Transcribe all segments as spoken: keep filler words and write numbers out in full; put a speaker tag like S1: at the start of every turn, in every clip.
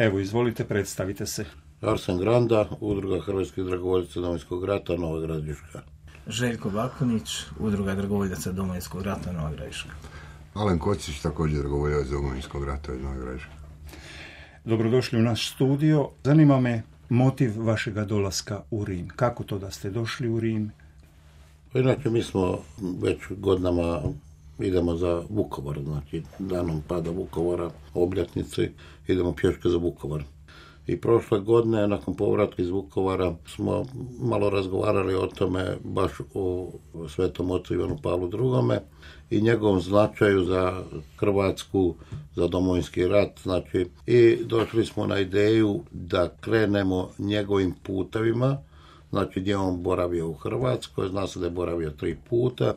S1: Evo, izvolite, predstavite se.
S2: Arsen Granda, Udruga Hrvatskih dragovoljaca Domovinskog rata, Nova Gradiška.
S3: Željko Bakunić, Udruga dragovoljaca Domovinskog rata, Nova Gradiška.
S4: Alen Kocić, također dragovoljac Domovinskog rata iz Nove Gradiške.
S1: Dobrodošli u naš studio. Zanima me motiv vašega dolaska u Rim. Kako to da ste došli u Rim?
S2: Inače, mi smo već godinama idemo za Vukovar, znači danom pada Vukovara, obljetnici, idemo pješke za Vukovar. I prošle godine, nakon povratka iz Vukovara, smo malo razgovarali o tome, baš o Svetom ocu Ivanu Pavlu drugom. i njegovom značaju za Hrvatsku, za Domovinski rat. Znači, i došli smo na ideju da krenemo njegovim putevima, znači gdje on boravio u Hrvatskoj, zna se da je boravio tri puta,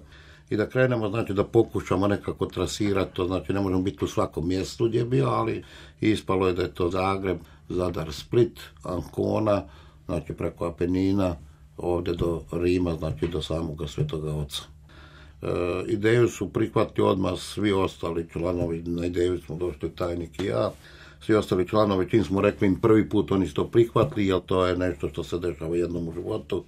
S2: i da krenemo, znači da pokušamo nekako trasirati to, znači ne možemo biti u svakom mjestu gdje je bio, ali ispalo je da je to Zagreb, Zadar, Split, Ancona, znači preko Apenina, ovdje do Rima, znači do samoga Svetoga Oca. E, ideju su prihvatili odmah svi ostali članovi, na ideju smo došli tajnik i ja, svi ostali članovi, čim smo rekli im prvi put, oni su to prihvatili, jer to je nešto što se dešava jednom u životu,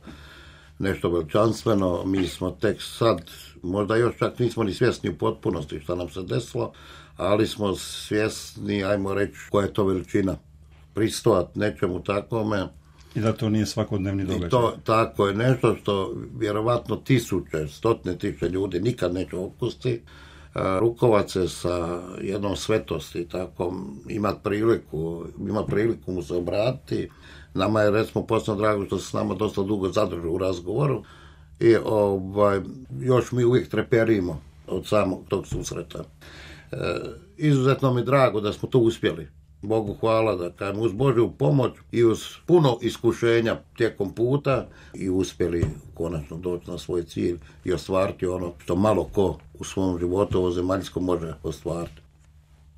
S2: nešto veličanstveno. Mi smo tek sad, možda još čak nismo ni svjesni u potpunosti što nam se desilo, ali smo svjesni, ajmo reći, koja je to veličina. Pristojat nečemu takvome.
S1: I da to nije svakodnevni događaj.
S2: I to tako je nešto što vjerovatno tisuće, stotine tisuće ljudi nikad neće opustiti. Rukovati se sa jednom svetosti, tako imati priliku, imati priliku mu se obratiti. Nama je, recimo, posebno drago što se s nama dosta dugo zadržao u razgovoru i ovaj, još mi uvijek treperimo od samog tog susreta. E, izuzetno mi drago da smo to uspjeli. Bogu hvala, da kažem, uz Božju pomoć i uz puno iskušenja tijekom puta i uspjeli konačno doći na svoj cilj i ostvariti ono što malo ko u svom životu ovozemaljskom može ostvariti.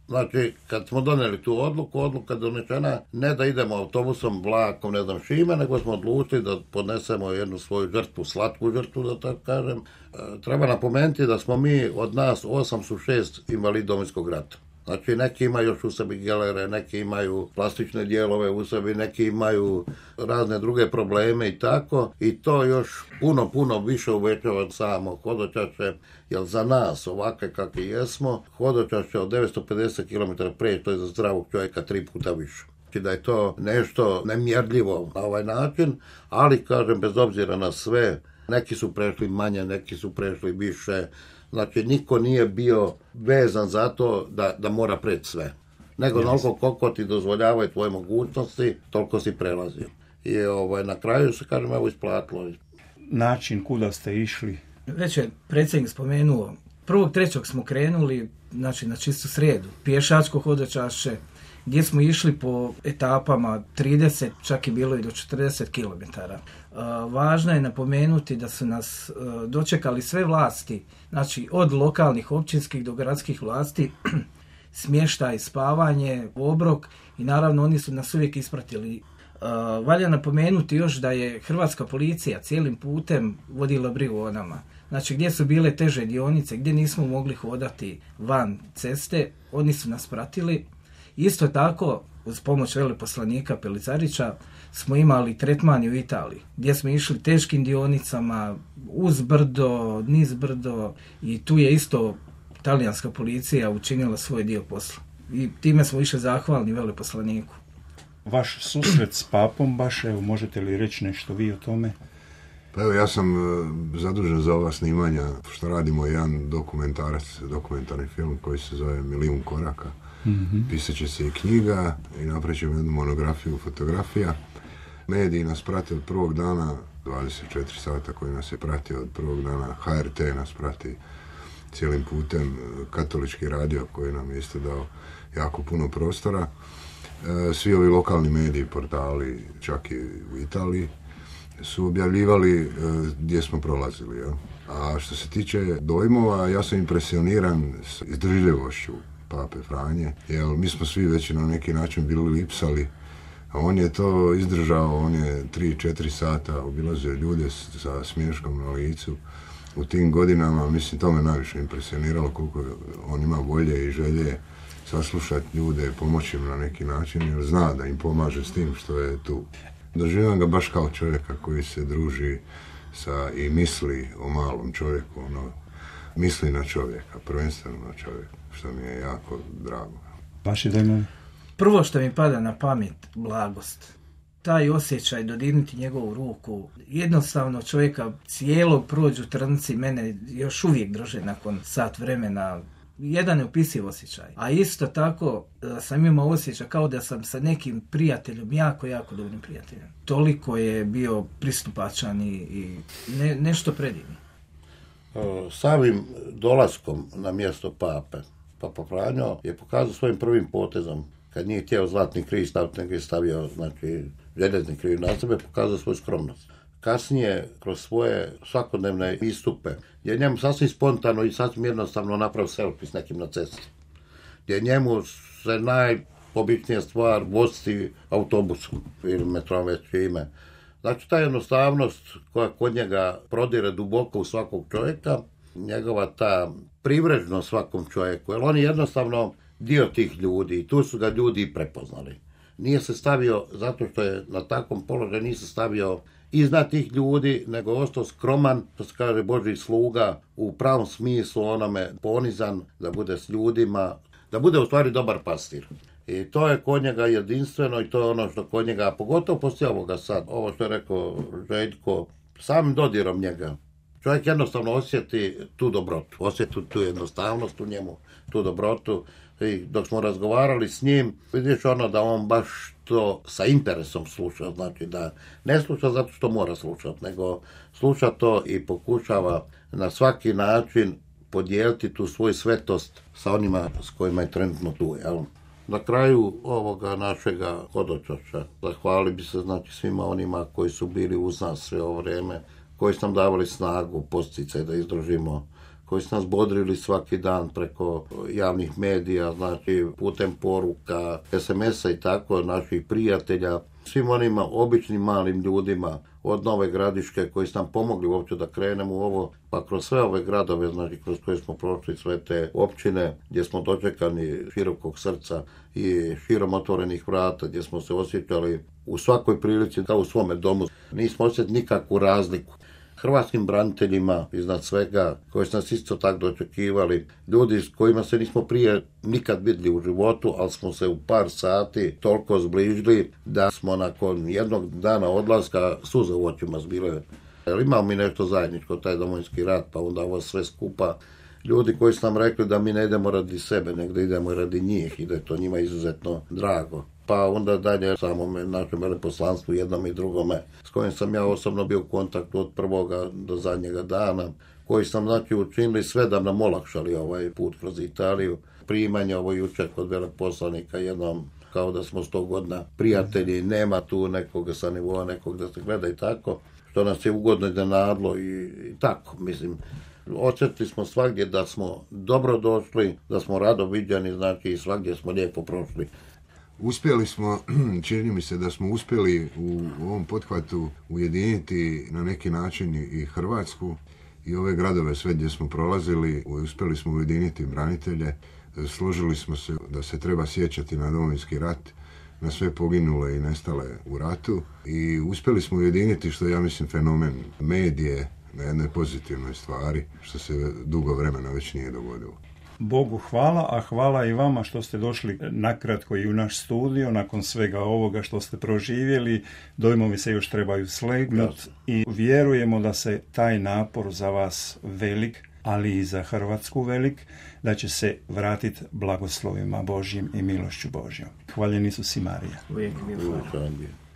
S2: Znači, kad smo donijeli tu odluku, odluka je donešena ne da idemo autobusom, vlakom, ne znam šime, nego smo odlučili da podnesemo jednu svoju žrtvu, slatku žrtvu, da tako kažem. E, treba napomenuti da smo mi, od nas osam su šest invalid Domovinskog rata. Znači, neki imaju još u sebi gelere, neki imaju plastične dijelove u sebi, neki imaju razne druge probleme i tako. I to još puno, puno više uvećava samo hodočašće, jer za nas, ovakve kakvi jesmo, hodočašće od devetsto pedeset kilometara prije, to je za zdravog čovjeka tri puta više. Znači da je to nešto nemjerljivo na ovaj način, ali, kažem, bez obzira na sve, neki su prešli manje, neki su prešli više. Znači, niko nije bio vezan za to da, da mora preći sve. Nego onoliko koliko ti dozvoljavaju tvoje mogućnosti, toliko si prelazio. I ovaj, na kraju se, kažem, evo isplatilo.
S1: Način kuda ste išli?
S3: Već je predsjednik spomenuo, prvog trećeg smo krenuli, znači na čistu srijedu, pješačko hodočašće, gdje smo išli po etapama trideset, čak je bilo i do četrdeset kilometara. Važno je napomenuti da su nas dočekali sve vlasti, znači od lokalnih, općinskih do gradskih vlasti, smještaj, spavanje, obrok, i naravno oni su nas uvijek ispratili. Valja napomenuti još da je hrvatska policija cijelim putem vodila brigu o nama. Znači, gdje su bile teže dionice, gdje nismo mogli hodati van ceste, oni su nas pratili. Isto tako, uz pomoć veleposlanika Pelicarića, smo imali tretmani u Italiji, gdje smo išli teškim dionicama, uz brdo, niz brdo, i tu je isto talijanska policija učinila svoj dio posla. I time smo više zahvalni veleposlaniku.
S1: Vaš susret s papom baš, evo, možete li reći nešto vi o tome?
S4: Pa evo, ja sam zadužen za ova snimanja, što radimo jedan dokumentarac, dokumentarni film koji se zove Milijun koraka. Mm-hmm. Pisat će se i knjiga i napravit ćemo jednu monografiju fotografija. Mediji nas prate od prvog dana, dvadeset četiri sata koji nas je pratio od prvog dana, H R T nas prati cijelim putem, katolički radio koji nam je isto dao jako puno prostora. Svi ovi lokalni mediji, portali, čak i u Italiji, su objavljivali gdje smo prolazili. Ja? A što se tiče dojmova, ja sam impresioniran s izdržljivošću Pape Franje, jer mi smo svi već na neki način bili lipsali, a on je to izdržao, on je tri četiri sata obilazio ljude sa smiješkom na licu u tim godinama. Mislim, to me najviše impresioniralo, koliko on ima volje i želje saslušati ljude, pomoći im na neki način, jer zna da im pomaže s tim što je tu. Doživljam ga baš kao čovjeka koji se druži sa i misli o malom čovjeku, ono, misli na čovjeka, prvenstveno na čovjeka, što mi je jako drago.
S1: Vaši dojmovi?
S3: Prvo što mi pada na pamet, blagost. Taj osjećaj dodirnuti njegovu ruku, jednostavno čovjeka cijelog prođu trnci, mene još uvijek drže nakon sat vremena. Jedan neopisiv osjećaj. A isto tako sam imao osjećaj kao da sam sa nekim prijateljom, jako, jako dobrim prijateljem. Toliko je bio pristupačan i, i ne, nešto predivno.
S2: Samim dolaskom na mjesto pape, Papa Franjo je pokazao svojim prvim potezom, kad nije htio zlatni križ staviti, nego je stavio, znači, željezni križ na sebe, pokazao svoju skromnost. Kasnije, kroz svoje svakodnevne istupe, gdje je njemu sasvim spontano i sasvim jednostavno napravio selfie s nekim na cesti. Gdje njemu se najobičnija stvar voziti autobusom ili metrom već ime. Znači, ta jednostavnost koja kod njega prodire duboko u svakog čovjeka, njegova ta privrežnost svakom čovjeku, jer on je jednostavno dio tih ljudi i tu su ga ljudi i prepoznali. Nije se stavio, zato što je na takvom položaju, nije se stavio iznad tih ljudi, nego ostao skroman, to se kaže Božji sluga, u pravom smislu onome ponizan, da bude s ljudima, da bude u stvari dobar pastir. I to je kod njega jedinstveno i to je ono što kod njega, pogotovo poslije ovoga sad, ovo što je rekao Željko, samim dodirom njega, čovjek jednostavno osjeti tu dobrotu, osjeti tu jednostavnost u njemu, tu dobrotu. I dok smo razgovarali s njim, vidiš ono da on baš to sa interesom sluša, znači da ne sluša zato što mora slušati, nego sluša to i pokušava na svaki način podijeliti tu svoju svetost sa onima s kojima je trenutno tu, jel? Na kraju ovoga našega hodočašća zahvalili bi se, znači, svima onima koji su bili uz nas sve ovo vrijeme, koji su nam davali snagu, podsticaj da izdržimo, koji su nas bodrili svaki dan preko javnih medija, znači putem poruka, es em es a i tako, naših prijatelja, svim onima običnim malim ljudima od Nove Gradiške koji su nam pomogli uopće da krenemo u ovo, pa kroz sve ove gradove, znači kroz koje smo prošli, sve te općine gdje smo dočekani širokog srca i širom otvorenih vrata, gdje smo se osjećali u svakoj prilici da u svome domu. Nismo osjetili nikakvu razliku. Hrvatskim braniteljima iznad svega, koji su nas isto tako dočekivali, ljudi s kojima se nismo prije nikad vidjeli u životu, ali smo se u par sati toliko zbližili da smo nakon jednog dana odlaska suze u očima zbile. Imamo mi nešto zajedničko, taj Domovinski rat, pa onda ovo sve skupa. Ljudi koji su nam rekli da mi ne idemo radi sebe, nego da idemo radi njih i da je to njima izuzetno drago. Pa onda dalje samome našem veleposlanstvu, jednom i drugome, s kojim sam ja osobno bio u kontaktu od prvoga do zadnjega dana, koji sam, znači, učinili sve da nam olakšali ovaj put kroz Italiju. Primanje ovo jučer kod veleposlanika jednom, kao da smo sto godina prijatelji, nema tu nekoga sa nivoa, nekog da se gleda i tako, što nas je ugodno iznenadilo i, i tako, mislim. Osjetili smo svagdje da smo dobro došli, da smo rado viđani, znači i svagdje smo lijepo prošli.
S4: Uspjeli smo, čini mi se da smo uspjeli u ovom pothvatu ujediniti na neki način i Hrvatsku i ove gradove sve gdje smo prolazili, uspjeli smo ujediniti branitelje, složili smo se da se treba sjećati na Domovinski rat, na sve poginule i nestale u ratu i uspjeli smo ujediniti, što ja mislim, fenomen medije na jednoj pozitivnoj stvari, što se dugo vremena već nije dogodilo.
S1: Bogu hvala, a hvala i vama što ste došli nakratko i u naš studio, nakon svega ovoga što ste proživjeli. Dojmovi se još trebaju slegnuti i vjerujemo da se taj napor za vas velik, ali i za Hrvatsku velik, da će se vratiti blagoslovima Božjim i milošću Božjom. Hvaljen Isus i Marija.
S3: Uvijek mi hvala.